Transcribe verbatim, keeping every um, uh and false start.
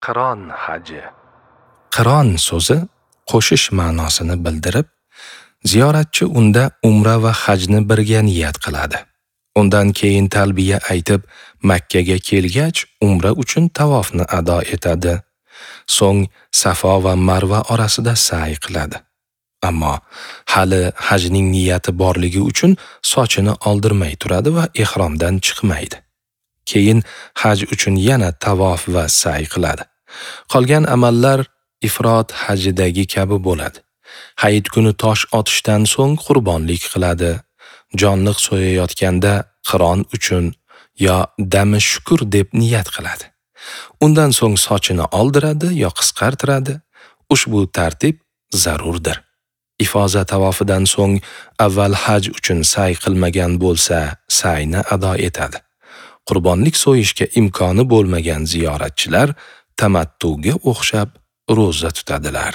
Qiron haji. Qiron so'zi qo'shish ma'nosini bildirib, ziyoratchi unda umra va hajni birga niyat qiladi. Undan keyin talbiya aytib, Makka ga kelgach, umra uchun tavofni ado etadi. So'ng Safo va Marva orasida sa'y qiladi. Ammo hali hajning niyati borligi uchun sochini oldirmay turadi va ehromdan chiqmaydi. Keyin haj uchun yana tavof va sa'y qiladi. Qolgan amallar ifrot hajidagi kabi bo'ladi. Hayit kuni tosh otishdan so'ng qurbonlik qiladi. Jonliq so'yayotganda qiron uchun yo dami shukr deb niyat qiladi. Undan so'ng sochini oldiradi yo qisqartiradi. Ushbu tartib zarurdir. Ifoza tavofidan so'ng avval haj uchun sa'y qilmagan bo'lsa, sa'yni ado etadi. Qurbonlik so'yishga imkoni bo'lmagan ziyoratchilar tamattuga o'xshab ro'za tutadilar.